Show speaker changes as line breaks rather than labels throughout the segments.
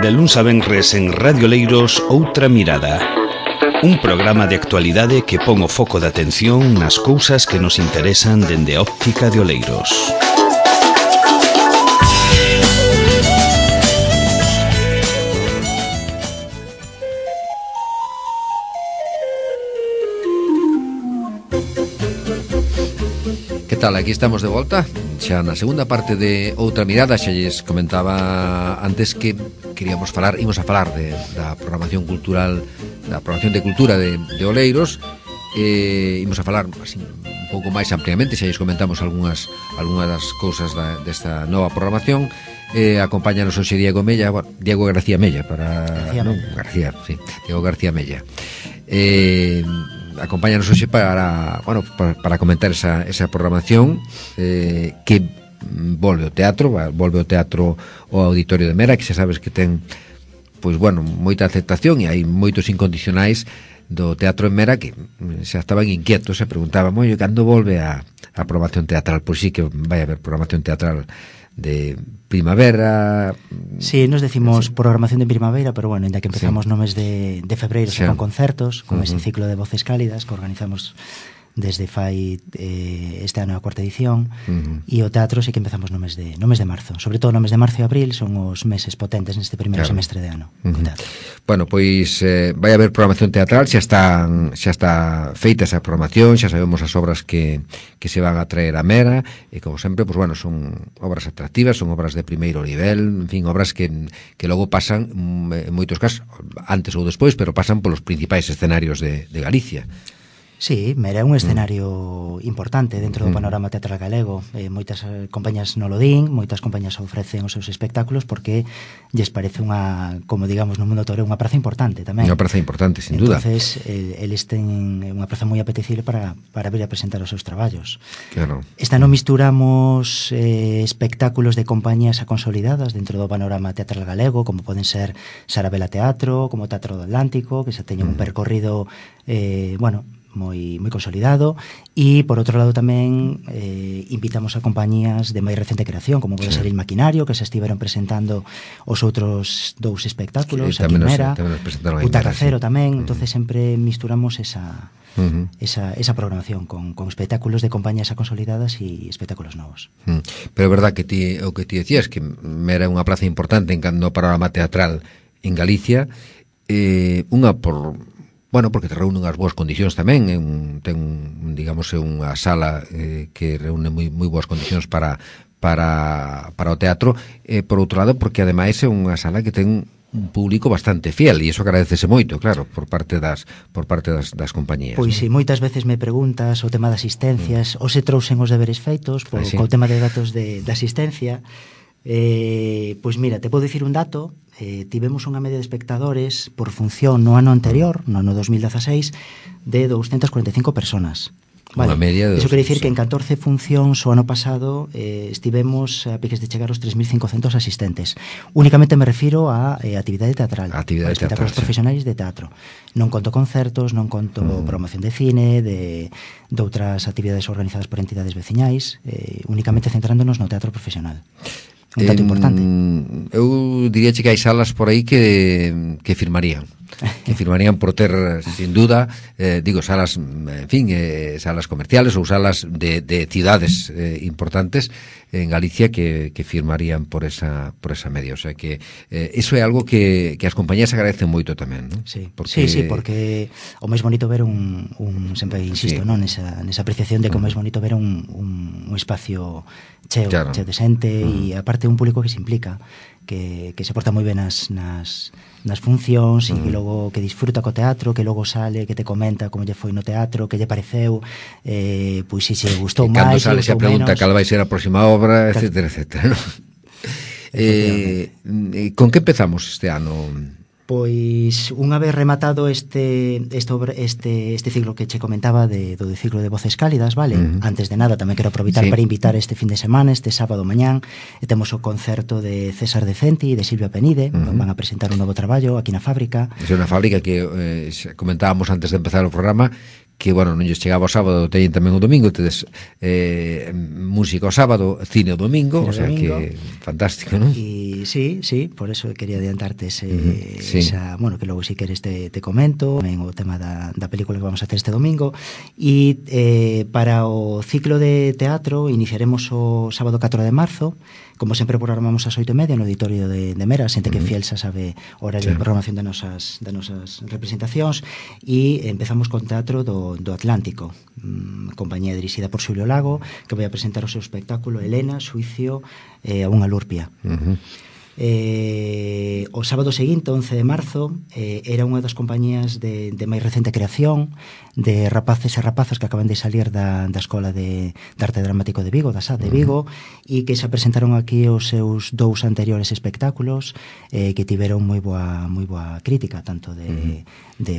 De luns a venres en Radio Oleiros, Outra Mirada. Un programa de actualidade que pon o foco de atención nas cousas que nos interesan dende a óptica de Oleiros.
Que tal? Aquí estamos de volta xa na segunda parte de Outra Mirada. Xa lles comentaba antes que imos a falar da programación cultural, da programación de cultura de Oleiros. Imos a falar así, un pouco máis ampliamente. Xa lles comentamos algunhas das cousas desta nova programación. Acompáñanos hoxe Diego Mella, Diego García Mella Diego García Mella. Acompáñanos hoxe para comentar esa programación que volve ao teatro ao Auditorio de Mera, que xa sabes que ten moita aceptación e hai moitos incondicionais do teatro en Mera que xa estaban inquietos, se preguntaban, cando volve a programación teatral? Pois sí que vai haber programación teatral de primavera.
Sí, nos decimos programación de primavera, pero ainda que empezamos no mes de febreiro con concertos, con ese ciclo de Voces Cálidas que organizamos desde fai este ano a cuarta edición, e o teatro sí que empezamos no mes de marzo. Sobre todo no mes de marzo e abril son os meses potentes neste primeiro semestre de ano.
Vai haber programación teatral, xa está feita esa programación, xa sabemos as obras que se van a traer a Mera, e como sempre, son obras atractivas, son obras de primeiro nivel, en fin, obras que logo pasan, en moitos casos, antes ou despois, pero pasan polos principais escenarios de Galicia.
Sí, Mera é un escenario importante dentro do panorama teatral galego. Moitas compañías non lo din, moitas compañías ofrecen os seus espectáculos porque lles parece como digamos no mundo toreo, unha praza importante tamén.
Unha praza importante, sin duda.
Entonces, eles ten unha praza moi apetecible para vir a presentar os seus traballos.
Claro.
Esta non misturamos espectáculos de compañías consolidadas dentro do panorama teatral galego, como poden ser Sarabela Teatro, como Teatro do Atlántico, que xa teñen un percorrido moi consolidado, e por outro lado tamén invitamos a compañías de máis recente creación, como pode ser Il Maquinario, que se estiveron presentando os outros dous espectáculos, a Quimera, Butaca Cero tamén. Entonces sempre misturamos esa programación con espectáculos de compañías consolidadas e espectáculos novos.
Pero é verdad que o que ti decías, que Mera é unha praza importante no panorama teatral en Galicia, porque te reúnen as boas condicións tamén, ten unha sala que reúne moi boas condicións para o teatro, por outro lado, porque ademais é unha sala que ten un público bastante fiel, e iso agradecese moito, claro, por parte das compañías.
Pois si, moitas veces me preguntas o tema de asistencias, ou se trouxen os deberes feitos co tema de datos de asistencia. Pois mira, te podo dicir un dato. Tivemos unha media de espectadores por función no ano anterior, no ano 2016, de 245 personas.
Unha media de...
Iso quere dicir que en 14 funcións o ano pasado estivemos a piques de chegar aos 3.500 asistentes. Únicamente me refiro a actividade teatral, a espectáculos profesionais de teatro. Non conto concertos, non conto promoción de cine, de outras actividades organizadas por entidades veciñais, únicamente centrándonos no teatro profesional. Un dato importante.
Eu diría que hai salas por aí que firmarían por ter, sin duda, salas, en fin, salas comerciales ou salas de cidades importantes en Galicia que firmarían por esa media. O sea que iso é algo que as compañías agradecen moito tamén, non?
Sí, porque o máis bonito ver sempre insisto, non, nesa apreciación de que o máis bonito ver un espacio cheo de xente, e aparte un público que se implica, que se porta moi ben nas funcións, e que logo que disfruta co teatro, que logo sale, que te comenta como lle foi no teatro, que lle pareceu, pois se gustou máis,
cando sale se pregunta cal vai ser a próxima obra, etcétera, ¿no? Con que empezamos este ano?
Pois unha vez rematado este ciclo que che comentaba do ciclo de Voces Cálidas, vale? Antes de nada tamén quero aproveitar para invitar este fin de semana, este sábado mañán, temos o concerto de César Decenti e de Silvia Penide, van a presentar un novo traballo aquí na fábrica.
É unha fábrica que comentábamos antes de empezar o programa, que, bueno, non lles chegaba o sábado, teñen tamén o domingo, tedes música o sábado, cine o domingo,
Cine
o sea
domingo.
que fantástico, non?
Y sí, por eso quería adiantarte
sí.
bueno, que logo si queres te comento tamén o tema da película que vamos a hacer este domingo. E para o ciclo de teatro iniciaremos o sábado 4 de marzo. Como sempre programamos ás 8:30 no auditorio de Mera, xente que fiel xa sabe o horario de programación das nosas representacións, e empezamos con teatro do Atlántico, compañía dirixida por Xulio Lago, que vai a presentar o seu espectáculo Helena, Suicio a unha lurpia. O sábado seguinte, 11 de marzo, era unha das compañías de máis recente creación, de rapaces e rapazas que acaban de salir da Escola de Arte Dramático de Vigo, da SAT de Vigo, e que se presentaron aquí os seus 2 anteriores espectáculos, que tiveron moi boa crítica, tanto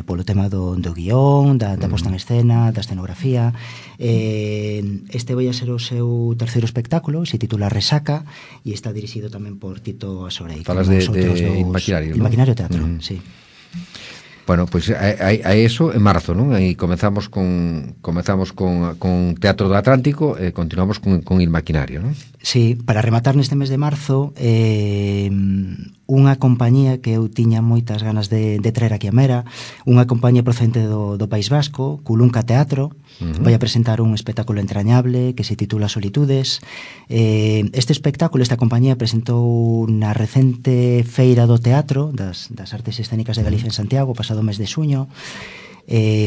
polo tema do guión, da posta en escena, da escenografía. Este vai a ser o seu terceiro espectáculo, se titula Resaca, e está dirixido tamén por Tito Asorei.
Falas de Ilmaquinario,
¿no? Ilmaquinario Teatro, sí.
Bueno, pois hai eso en marzo, non? Aí comezamos con Teatro do Atlántico e continuamos con Ilmaquinario, non?
Sí, para rematar neste mes de marzo, unha compañía que eu tiña moitas ganas de traer aquí a Mera, unha compañía procedente do País Vasco, Culunca Teatro, vai a presentar un espectáculo entrañable que se titula Solitudes. Este espectáculo, esta compañía presentou na recente Feira do Teatro das Artes Escénicas de Galicia en Santiago, pasado mes de xuño.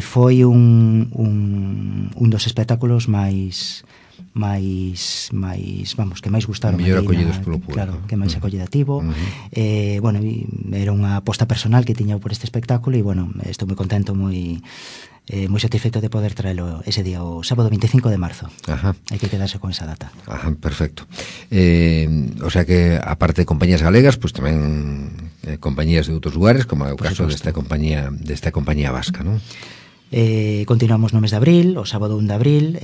Foi un dos espectáculos máis que máis gustaron,
mellor acollidos polo público,
claro, que máis acollidativo. Bueno, era unha aposta personal que tiña por este espectáculo e, bueno, estou moi contento, moi satisfeito de poder traelo ese día, o sábado 25 de marzo.
Ajá.
Hai que quedarse con esa data.
Ajá, perfecto. O sea que, aparte de compañías galegas, pues tamén compañías de outros lugares, como é o caso desta compañía vasca, non?
Continuamos no mes de abril, o sábado 1 de abril,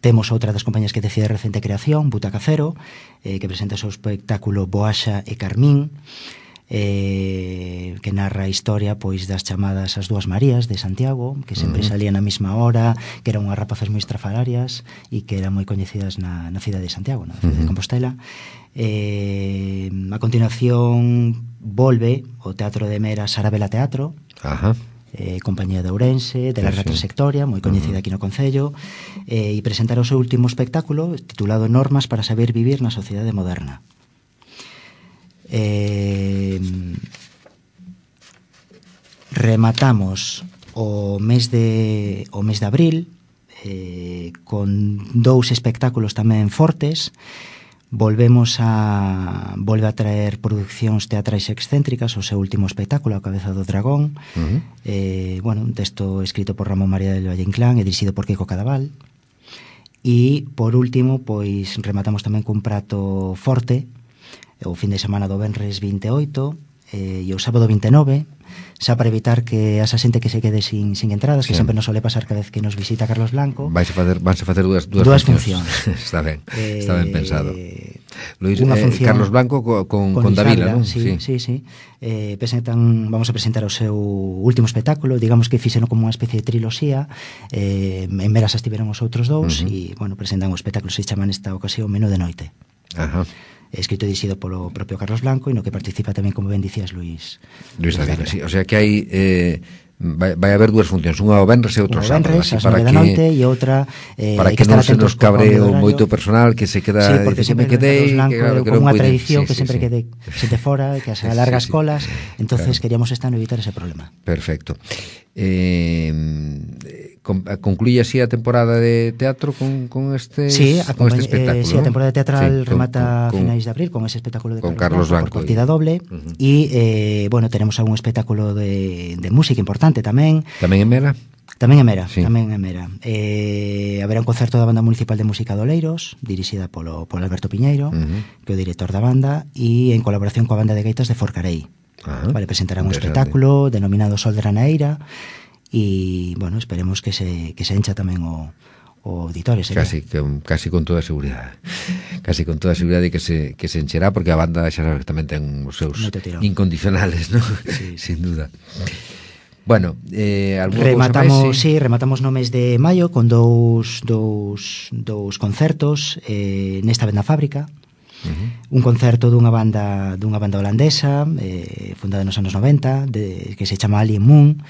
temos outra das compañías que decide recente creación, Butaca Cero, que presenta o seu espectáculo Boaxa e Carmín, que narra a historia pois das chamadas as Dúas Marías de Santiago, que sempre salían a mesma hora, que eran unhas rapazas moi estrafalarias e que eran moi coñecidas na cidade de Santiago, na cidade de Compostela. A continuación volve o Teatro de Mera Sarabela Teatro.
Ajá.
Compañía de Ourense, de larga trayectoria, moi coñecida aquí no Concello, e presentar o seu último espectáculo titulado Normas para saber vivir na sociedade moderna. Rematamos o mes de abril con 2 espectáculos tamén fortes. Volve a traer producións teatrais excéntricas, o seu último espectáculo, A cabeza do dragón, bueno, un texto escrito por Ramón María del Valle Inclán e dirixido por Kiko Cadaval. E, por último, pois rematamos tamén cun prato forte, o fin de semana do venres 28 e o sábado 29, xa para evitar que esa xente que se quede sin entradas, que sempre nos sole pasar cada vez que nos visita Carlos Blanco.
Vanse facer dúas funcións. Está ben pensado. Luis, Carlos Blanco con Davila, non?
Sí. Vamos a presentar o seu último espectáculo, digamos que fixeno como unha especie de triloxía. En Meras estiveron os outros 2 e, bueno, presentan o espectáculo, se chama nesta ocasión Menú de Noite.
Ajá.
Escrito e dirixido polo propio Carlos Blanco e no que participa tamén, como ben dicías, Luis
Davila, sí. O sea que hai vai haber 2 funcións, unha o venres e outra o sábado,
así para que noite e outra
para que non se nos cabre o moito personal que se queda,
sí, porque sempre me quedei como unha tradición que sempre quede xente fora, que as largas colas, entonces queríamos este ano evitar ese problema.
Perfecto. Concluye así a temporada de teatro con este espectáculo.
Sí, a temporada teatral remata a finais de abril con ese espectáculo de
Carlos Blanco
por partida doble e, bueno, tenemos algún espectáculo de música importante tamén.
Tamén en Mera?
Tamén en Mera, sí. Haberá un concerto da Banda Municipal de Música de Oleiros, dirixida polo Alberto Piñeiro, que é o director da banda, e en colaboración coa Banda de Gaitas de Forcarei. Vale, presentarán un espectáculo denominado Sol de Ranaeira e, bueno, esperemos que se encha tamén o auditorio.
Casi con toda seguridade. Casi con toda seguridade que se encherá, porque a banda xa sabe que tamén ten os seus incondicionales, ¿no? Sí. Sin duda. Bueno,
rematamos no mes de maio con dous concertos, nesta vez na Fábrica. Un concerto dunha banda holandesa, fundada nos anos 90, que se chama Alien Moon,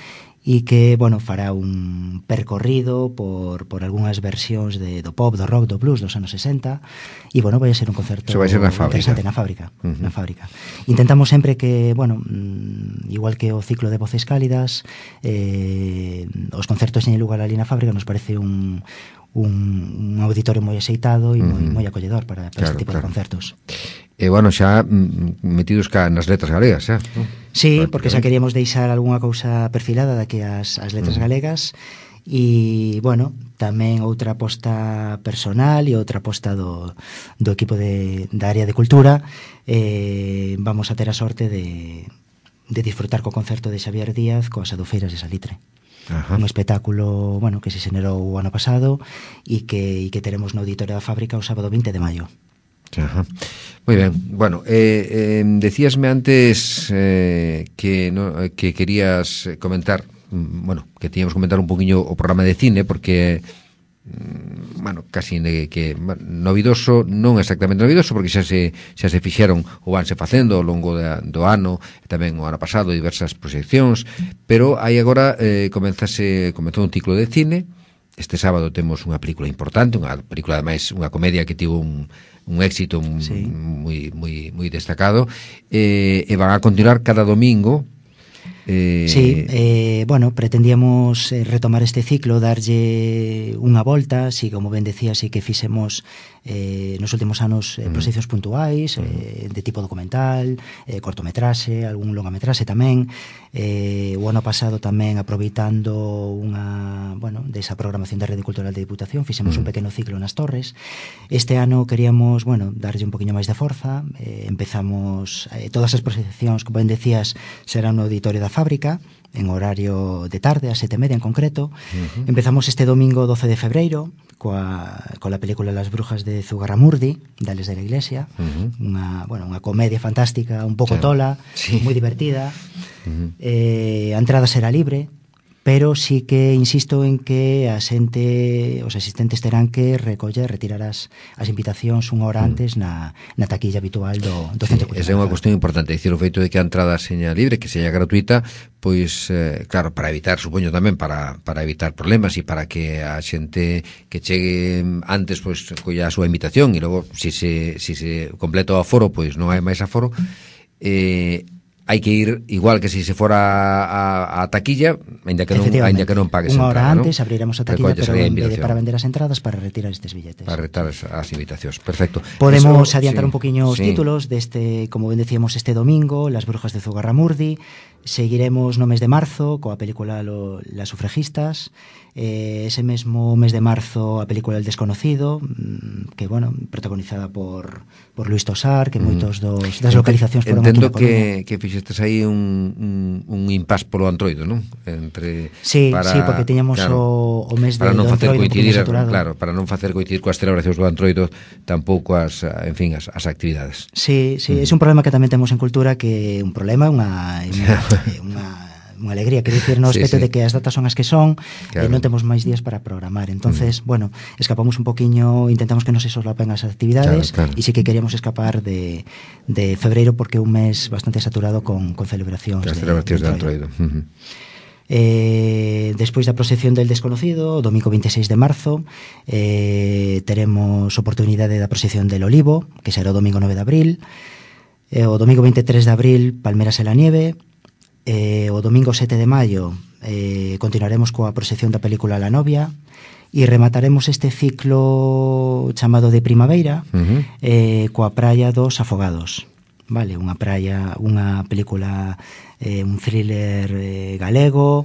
e que, bueno, fará un percorrido por algunhas versións do pop, do rock, do blues dos anos 60, e, bueno, vai a ser un concerto interesante na Fábrica. Na Fábrica. Intentamos sempre que, bueno, igual que o ciclo de Voces Cálidas, os concertos en lugar ali na Fábrica nos parece un auditorio moi axeitado e moi acolledor para este tipo de concertos.
E, bueno, xa metidos nas letras galegas, xa?
Sí, porque xa queríamos deixar algunha cousa perfilada daqui as letras galegas e, bueno, tamén outra aposta personal e outra aposta do equipo da área de cultura. Vamos a ter a sorte de disfrutar co concerto de Xavier Díaz coas Adufeiras de Salitre. Un espectáculo, bueno, que se xenerou o ano pasado e que teremos no Auditorio da Fábrica o sábado 20 de maio.
Ajá. Moi ben, bueno, decíasme antes que querías comentar, bueno, que tiñamos que comentar un poquinho o programa de cine, porque bueno, casi que novidoso, non exactamente novidoso, porque xa se fixeron ou vanse facendo ao longo do ano, tamén o ano pasado diversas proxeccións, pero aí agora comezou un ciclo de cine. Este sábado temos unha película importante, unha película ademais, unha comedia que tivo un éxito moi destacado, e van a continuar cada domingo.
Bueno, pretendíamos retomar este ciclo, darlle unha volta, si, como ben decía, si que fixemos nos últimos anos proxeccións puntuais, de tipo documental, cortometraxe, algún longametraxe tamén. O ano pasado tamén, aproveitando desa programación da Rede Cultural de Diputación, fixemos un pequeno ciclo nas Torres. Este ano queríamos, darlle un poquinho máis de forza. Empezamos todas as proxeccións, como ben decías, serán no Auditorio da Fábrica, en horario de tarde, a 7:30 en concreto. Empezamos este domingo 12 de febreiro coa película Las Brujas de Zugarramurdi, de Ales de la Iglesia, unha comedia fantástica, un pouco tola, moi divertida. A entrada será libre, pero sí que insisto en que os asistentes terán que retirar as invitacións unha hora antes na taquilla habitual do Centro Cultural.
Esa é unha cuestión importante, dicir, o feito de que a entrada seña libre, que seña gratuita, pois, claro, para evitar, supoño tamén, para evitar problemas e para que a xente que chegue antes, pois, colla a súa invitación, e logo, se completa o aforo, pois non hai máis aforo, hai que ir igual que se fora a taquilla, aínda que non pagues
unha hora
entrada,
antes, ¿no? Abriremos a taquilla, pero para vender as entradas, para retirar estes billetes.
Para retirar as invitacións, perfecto.
Podemos adiantar un poquinho os títulos deste, como ben decíamos, este domingo, Las Brujas de Zugarramurdi. Seguiremos no mes de marzo coa película Las Sufragistas. Ese mesmo mes de marzo a película El Desconocido, que, bueno, protagonizada por Luis Tosar, que moitos das localizacións foron aquí na Coruña.
Que fixestes aí un impás polo Antroido, non?
Sí, porque tiñamos o mes do Antroido saturado.
Claro, para non facer coincidir coas celebracións do Antroido tampouco as actividades.
Sí, é un problema que tamén temos en cultura, que é un problema, unha alegría, quero dicir, no aspecto de que as datas son as que son, e non temos máis días para programar. Entonces, bueno, escapamos un poquiño, intentamos que non se solapen as actividades, e sí que queríamos escapar de febreiro, porque é un mes bastante saturado con celebracións de Antroido. Despois da proxección del Desconocido, o domingo 26 de marzo, teremos oportunidade da proxección del Olivo, que será o domingo 9 de abril. O domingo 23 de abril, Palmeras en la nieve. O domingo 7 de maio continuaremos coa proxección da película La novia, e remataremos este ciclo chamado de primavera coa Praia dos Afogados. Vale, unha película, un thriller galego,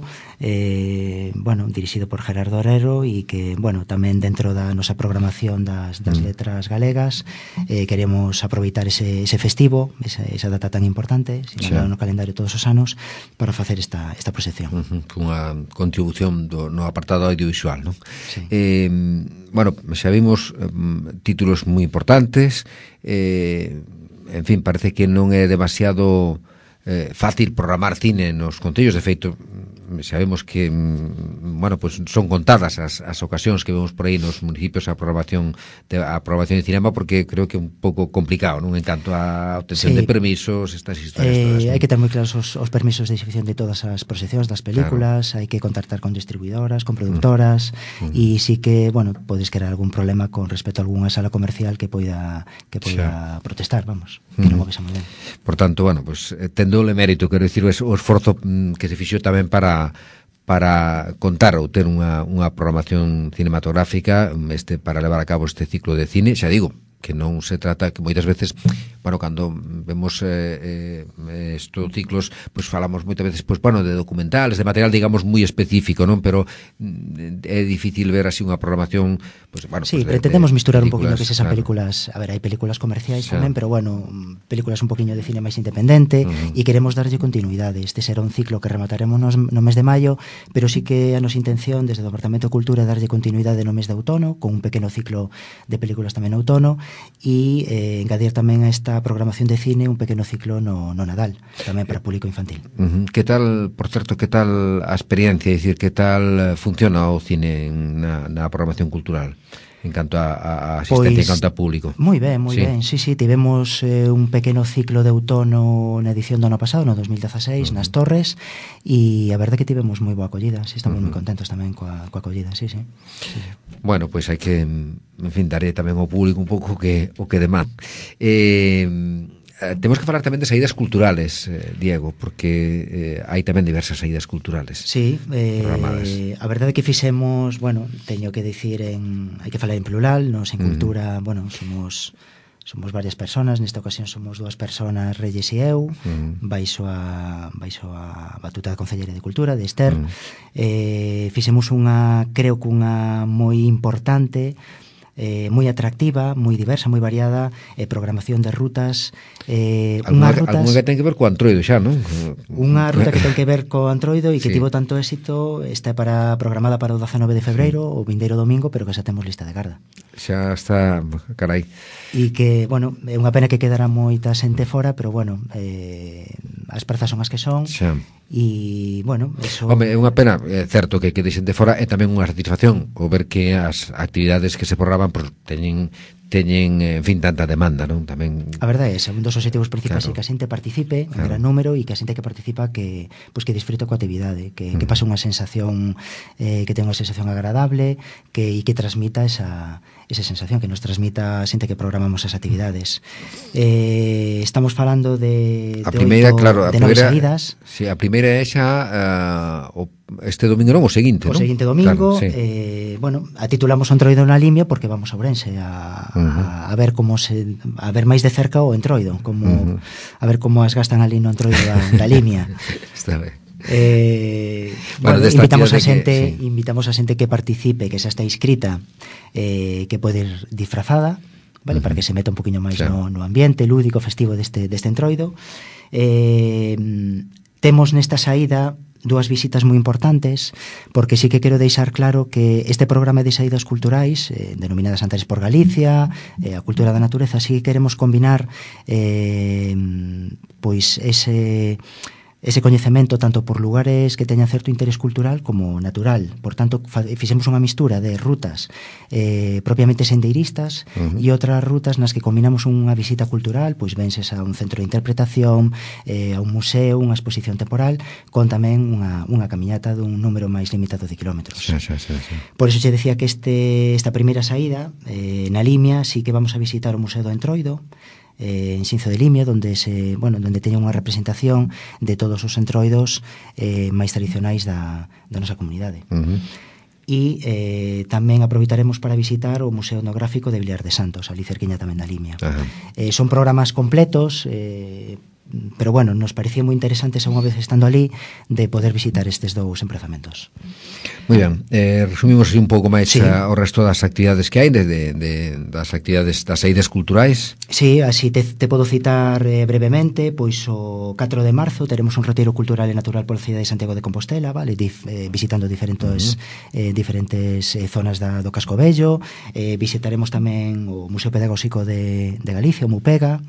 bueno, dirixido por Gerardo Herrero, e que, bueno, tamén dentro da nosa programación das letras galegas queremos aproveitar ese festivo, esa data tan importante, sinalada no calendario todos os anos, para facer esta proxección.
Unha contribución no apartado audiovisual, non? Sí. Bueno, xa vimos títulos moi importantes, en fin, parece que non é demasiado fácil programar cine nos concellos. De feito, sabemos que pues son contadas as ocasións que vemos por aí nos municipios a aprobación de cinema, porque creo que é un pouco complicado, non? En canto a obtención de permisos, estas historias todas,
hai que ter moi claros os permisos de exhibición de todas as proxeccións das películas, hai que contactar con distribuidoras, con productoras, e sí que, podes crear algún problema con respecto a algunha sala comercial que poida protestar, vamos, que non o vesa moi ben.
Por tanto, tendo o mérito, quero dicir, o esforzo que se fixo tamén para contar ou ter unha programación cinematográfica para levar a cabo este ciclo de cine. Xa digo, que non se trata, que moitas veces, cando vemos estos ciclos, falamos moitas veces, de documentales, de material, digamos, moi específico, non? Pero é difícil ver así unha programación,
sí, pretendemos misturar un poquinho que sean películas, a ver, hai películas comerciais tamén, pero películas un poquinho de cine máis independente, e queremos darlle continuidade. Este será un ciclo que remataremos no mes de maio, pero sí que a nosa intención desde o Departamento de Cultura é darlle continuidade no mes de outono, con un pequeno ciclo de películas tamén no outono, e engadir tamén a esta programación de cine un pequeno ciclo no Nadal, tamén para público infantil.
Que tal, por certo, que tal a experiencia, é dicir, que tal funciona o cine na programación cultural en canto a asistencia, en canto a público?
Moi ben, sí, tivemos un pequeno ciclo de outono na edición do ano pasado, no 2016, nas Torres, e a verdade que tivemos moi boa acollida, estamos moi contentos tamén coa acollida, sí.
Bueno, pois hai que, en fin, daré tamén ao público un pouco o que demán. Temos que falar tamén de saídas culturales, Diego, porque hai tamén diversas saídas culturales.
Sí, a verdade que fixemos, teño que dicir hai que falar en plural, nos en cultura, somos varias personas, nesta ocasión somos 2 personas, Reyes e eu, baixo a batuta da Concellería de Cultura, de Ester. Fixemos creo que unha moi importante, moi atractiva, moi diversa, moi variada, programación de rutas,
algunha que ten que ver co Antroido xa, non?
Unha ruta que ten que ver co Antroido e que tivo tanto éxito, está programada para o 19 de febreiro, o vindeiro domingo, pero que xa temos lista de garda.
Xa está, carai.
E que, é unha pena que quedara moita xente fora, pero as prazas son as que son. Xa. E, eso...
Home, é unha pena, é certo que quede xente fora, é tamén unha satisfacción o ver que as actividades que se programan teñen, en fin, tanta demanda, non? Tamén...
A verdade é, un dos obxectivos principais é que a xente participe en gran número e que a xente que participa que disfrute coa actividade, que pase unha sensación, que tenga unha sensación agradable, e que transmita esa sensación, que nos transmita a xente que programamos as actividades. Estamos falando de 9 saídas.
Sí, a primeira é xa este domingo, non? O seguinte, non?
O seguinte domingo, claro, sí. A titulamos o Entroido na Limia porque vamos a Ourense a ver a ver máis de cerca o Entroido, a ver como as gastan ali no Entroido da Limia.
Está ben.
Invitamos a xente que participe, que xa está inscrita, que pode ir disfrazada, vale, para que se meta un poquinho máis no ambiente lúdico, festivo deste Entroido. Temos nesta saída 2 visitas moi importantes, porque sí que quero deixar claro que este programa de saídas culturais, denominadas Antares por Galicia, a cultura da natureza, sí que queremos combinar ese coñecemento tanto por lugares que teñan certo interés cultural como natural. Por tanto, fixemos unha mistura de rutas propiamente sendeiristas e outras rutas nas que combinamos unha visita cultural, pois venses a un centro de interpretación, a un museo, unha exposición temporal, con tamén unha camiñata dun número máis limitado de kilómetros.
Sí.
Por iso xe decía que esta primeira saída na Limia sí que vamos a visitar o Museo do Entroido, en Xinzo de Limia, donde teña unha representación de todos os entroidos máis tradicionais da nosa comunidade. E tamén aproveitaremos para visitar o Museo Etnográfico de Vilar de Santos, ali cerquiña tamén da Limia. Son programas completos, pero nos parecía moi interesante, xa unha vez estando ali, de poder visitar estes 2 emprazamentos.
Moi ben, resumimos un pouco máis o resto das actividades que hai, das actividades das saídas culturais.
Sí, así te podo citar brevemente, pois o 4 de marzo teremos un retiro cultural e natural pola cidade de Santiago de Compostela, vale, visitando diferentes zonas do Casco Vello. Visitaremos tamén o Museo Pedagóxico de Galicia, o MUPEGA.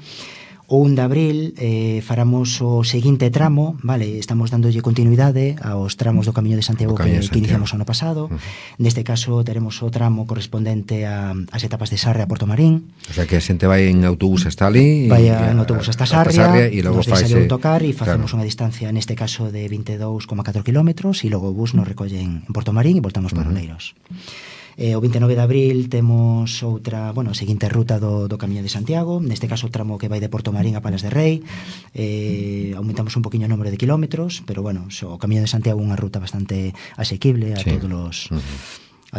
O 1 de abril faramos o seguinte tramo, vale, estamos dándolle continuidade aos tramos do Camiño de Santiago que iniciamos o ano pasado. Neste caso teremos o tramo correspondente ás etapas de Sarria a Porto Marín.
O sea que a xente vai en autobús hasta ali,
vai en autobús hasta Sarria,
e logo
nos deixa
faise
autocar e facemos unha distancia neste caso de 22,4 kilómetros e logo o bus nos recolle en Porto Marín e voltamos para Oleiros. O 29 de abril temos outra, a seguinte ruta do Camiño de Santiago, neste caso o tramo que vai de Porto Marín a Palas de Rei. Aumentamos un poquinho o número de kilómetros, pero o Camiño de Santiago é unha ruta bastante asequible a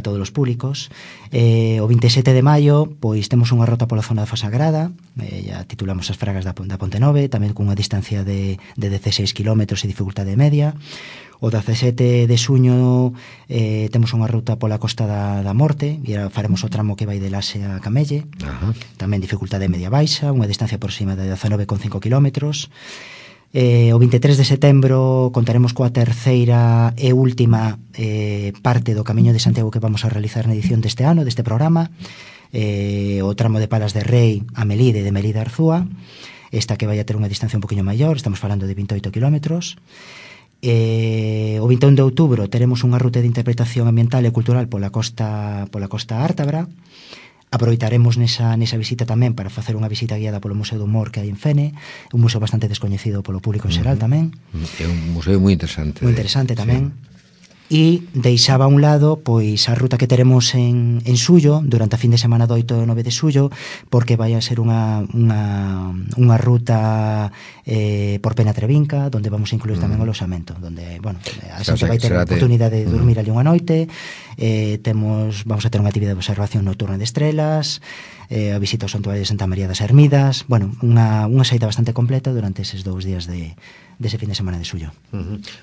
todos os públicos. O 27 de maio pois temos unha ruta pola zona da Fosagrada, ya titulamos as Fragas da Ponte Nove, tamén cunha distancia de 16 km e dificultade media. O 17 de suño temos unha ruta pola Costa da Morte e faremos o tramo que vai de Lase a Camelle. Tamén dificultade media baixa, unha distancia aproximada de 19,5 km. O 23 de setembro contaremos coa terceira e última parte do Camiño de Santiago que vamos a realizar na edición deste ano, deste programa, o tramo de Palas de Rei a Melide, de Melide a Arzúa, esta que vai a ter unha distancia un poquinho maior, estamos falando de 28 kilómetros. O 21 de outubro teremos unha ruta de interpretación ambiental e cultural pola costa ártabra. Aproveitaremos nesa visita tamén para facer unha visita guiada polo Museo do Humor que hai en Fene, un museo bastante descoñecido polo público en xeral tamén.
É un museo moi interesante.
Moi interesante tamén. E deixaba a un lado pois a ruta que teremos en Suyo durante a fin de semana do 8 e 9 de Suyo, porque vai a ser unha ruta por Pena Trevinca, onde vamos a incluir tamén o loxamento, onde, a xente vai ter a oportunidade de dormir ali unha noite. Vamos a ter unha actividade de observación nocturna de estrelas, a visita ao Santuario de Santa María das Hermidas, unha saída bastante completa durante eses 2 días dese fin de semana de Suyo.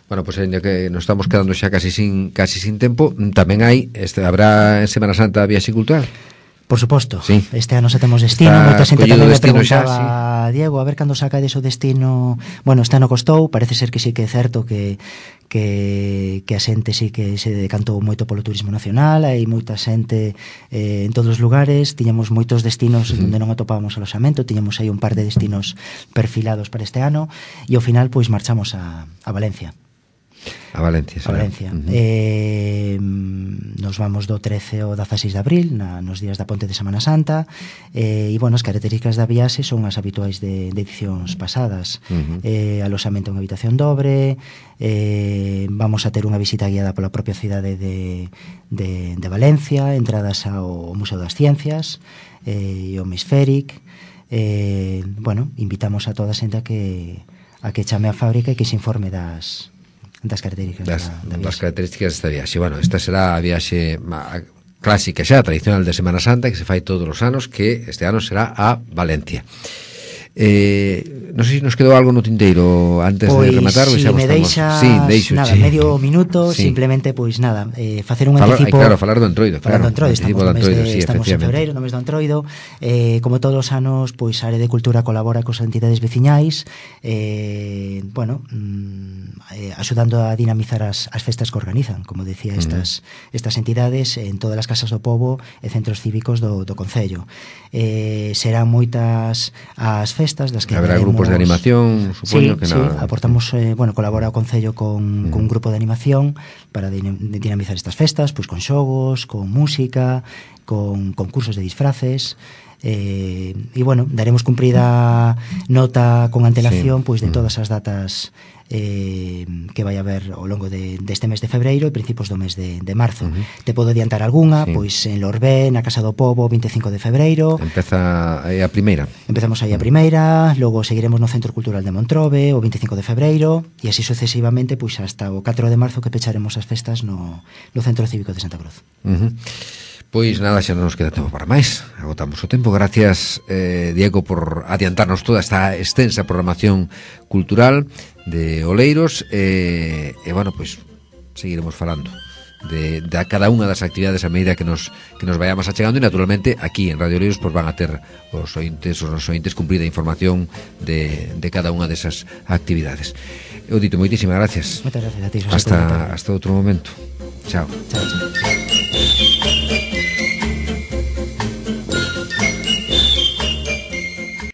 Pois ainda que nos estamos quedando xa casi sin tempo, tamén habrá en Semana Santa viaxe cultural.
Por suposto,
sí.
Este ano xa temos destino. Moita xente tamén me preguntaba, Diego, a ver cando saca deso destino. Este ano costou, parece ser que sí que é certo que a xente sí que se decantou moito polo turismo nacional, hai moita xente en todos os lugares, tiñamos moitos destinos onde non atopábamos aloxamento, tiñamos aí un par de destinos perfilados para este ano e ao final pois marchamos a Valencia.
A Valencia.
Nos vamos do 13 ao 16 de abril nos días da Ponte de Semana Santa e as características da viaxe son as habituais de edicións pasadas. Aloxamento en habitación dobre, vamos a ter unha visita guiada pola propia cidade de Valencia, entradas ao Museo das Ciencias e ao Hemisféric. Invitamos a toda a xente a que chame á fábrica e que se informe das características
das características desta viaxe. Esta será a viaxe clásica xa, tradicional de Semana Santa, que se fai todos os anos, que este ano será a Valencia. Non sei se nos quedou algo no tinteiro antes de rematar.
Si me deixas medio minuto, simplemente facer un anticipo.
Falar do Entroido.
Estamos en febreiro, no mes do Entroido. Como todos os anos, a área de cultura colabora cos entidades veciñais, axudando a dinamizar as festas que organizan, como decía, estas entidades en todas as casas do pobo e centros cívicos do concello. Serán moitas as festas das que
haberá grupos de animación, supoño que
aportamos, colabora o Concello con un grupo de animación para dinamizar estas festas, con xogos, con música, con concursos de disfraces. Daremos cumprida nota con antelación de todas as datas que vai haber ao longo deste mes de febreiro e principios do mes de marzo. Te podo adiantar algunha, en Lorbé, na Casa do Pobo, 25 de febreiro.
Empeza aí a primeira.
Empezamos aí a primeira, logo seguiremos no Centro Cultural de Montrobe, o 25 de febreiro, e así sucesivamente, hasta o 4 de marzo que pecharemos as festas no Centro Cívico de Santa Cruz.
Pois nada, xa non nos queda tempo para máis. Agotamos o tempo. Gracias, Diego, por adiantarnos toda esta extensa programación cultural de Oleiros. Seguiremos falando de cada unha das actividades a medida que nos vayamos achegando, e naturalmente aquí en Radio Oleiros van a ter os nosos ointes cumprida información de cada unha desas actividades. Eu dito, moitísimas gracias.
Moitas gracias a ti.
Hasta outro momento. Chao.